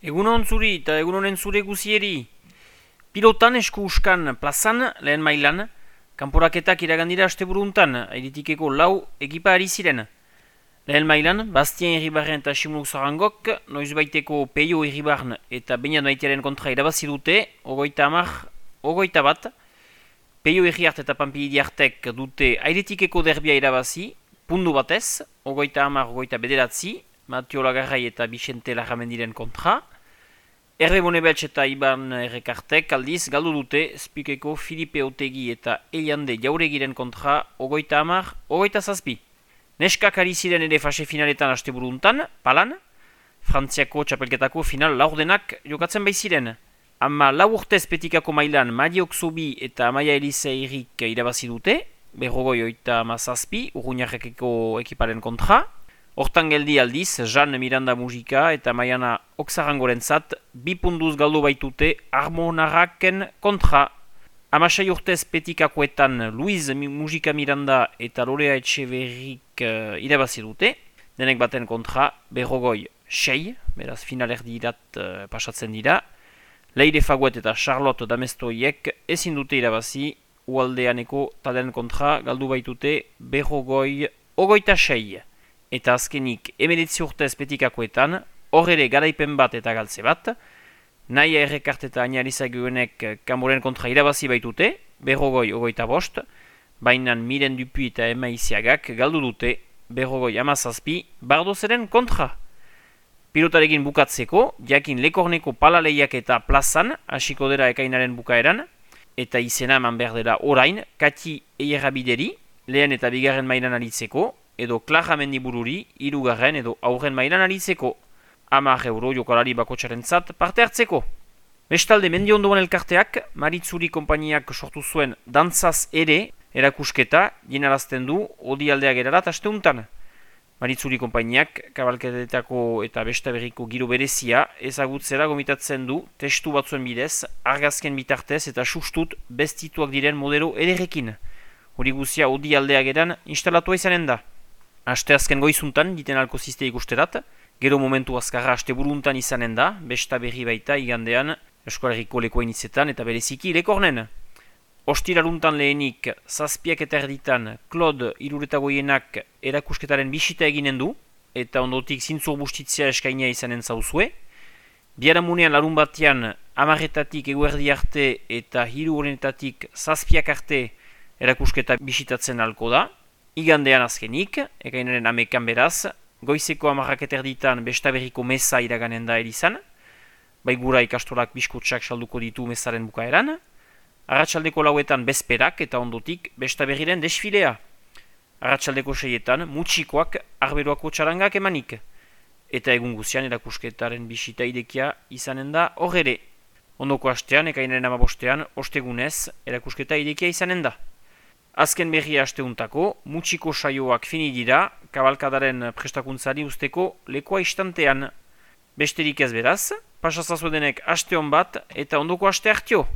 Egunon zuri eta egunonen zure guzieri. Pilotan esku uskan plazan, lehen mailan, kanporaketak iragandira asteburuntan, airitikeko lau ekipa ari ziren. Lehen mailan, Bastien Irribarren eta Simuluk Zarangok, noizbaiteko Peio Irribarren eta Beñat Maitearen kontra irabazi dute, 30-21. Peio Irriart eta Pampilidiartek dute airetikeko derbia irabazi, pundu batez, 30-29, Matio Lagarrai eta Vicente Larramendiren kontra. Herbe Bonebeltz eta Iban Errekartek aldiz galdu dute Spikeko Filipe Otegi eta Eliande Jauregiren kontra 30-27. Neskak ari ziren ere fase finaletan asteburuntan, palan, Frantziako txapelketako final laurdenak jokatzen baiziren. Ama lau urtez petikako mailan Madiok Zobi eta Amaia Eliseirik irabazi dute, 37, Urruñarrekeko ekiparen kontra. Hortan geldi aldiz, Jean Miranda Mujika eta Maiana Oksarangorentzat 2 punduz galdu baitute Armonarraken kontra. Amasai urtez petikakoetan Luiz Mujika Miranda eta Lorea Etxeverrik irabazi dute, denek baten kontra 6, beraz finalerdirat pasatzen dira. Leire Faguet eta Charlotte Damestoiek ezin dute irabazi, ualdeaneko talen kontra galdu baitute 26. Eta azkenik 19 urtez petikakoetan, hor ere garaipen bat eta galtze bat, Naia Errekart eta Añarizaguenek kanboren kontra irabazi baitute, 25, baina Miren Dupuy eta Emma Isiagak galdu dute, 17, Bardozeren kontra. Pilotarekin bukatzeko, jakin Lekorneko palaleiak eta plazan, hasiko dira ekainaren bukaeran, eta izena eman behar dela orain, Kati Eierabideri, lehen eta bigarren mailan aritzeko, edo Clara Mendibururi, 3. edo aurren mailan aritzeko, 10 euro jokalari bakotxarentzat parte hartzeko. Bestalde Mendiondoan elkarteak, Maritzuri konpainiak sortu zuen dantzaz ere erakusketa jenarazten du odialdea gerarat asteuntan. Maritzuri konpainiak kabalketetako eta bestaberriko giro berezia ezagutzera gomitatzen du testu batzuen bidez, argazken bitartez eta sustut bestituak diren modelo ederrekin. Hori guzia odialdea geran instalatua izanen da. Asteazken goizuntan, diten alko ziste ikusterat, gero momentu azkarra asteburuntan izanen da, besta berri baita igandean, Eskolarriko lekoa inizetan eta bereziki Lekornen. Ostiraruntan lehenik, 7 eta erditan, Claude Iruretagoienak erakusketaren bisita eginen du, eta ondotik zintzur bustitzea eskainia izanen zauzue. Biharamunean larun batean, 10 eguerdi arte eta 3 arte erakusketa bisitatzen alko da. Igandean azkenik, ekainaren 11 beraz, goizeko 10 erditan bestaberriko meza iraganen da erizan, baigura ikastolak biskutsak salduko ditu mezaren bukaeran, arratsaldeko 4 bezperak eta ondotik bestaberriren desfilea. Arratsaldeko 6 mutxikoak arberoako txarangak emanik, eta egun guzian erakusketaren bisita idekia izanen da horre. Ondoko astean, ekainaren 15, ostegunez, erakusketa idekia izanen da. Azken berria asteuntako, mutxiko saioak fini dira, kabalkadaren prestakuntzari usteko lekoa istantean. Besterik ez beraz, pasazazuedenek aste hon bat eta ondoko aste hartio.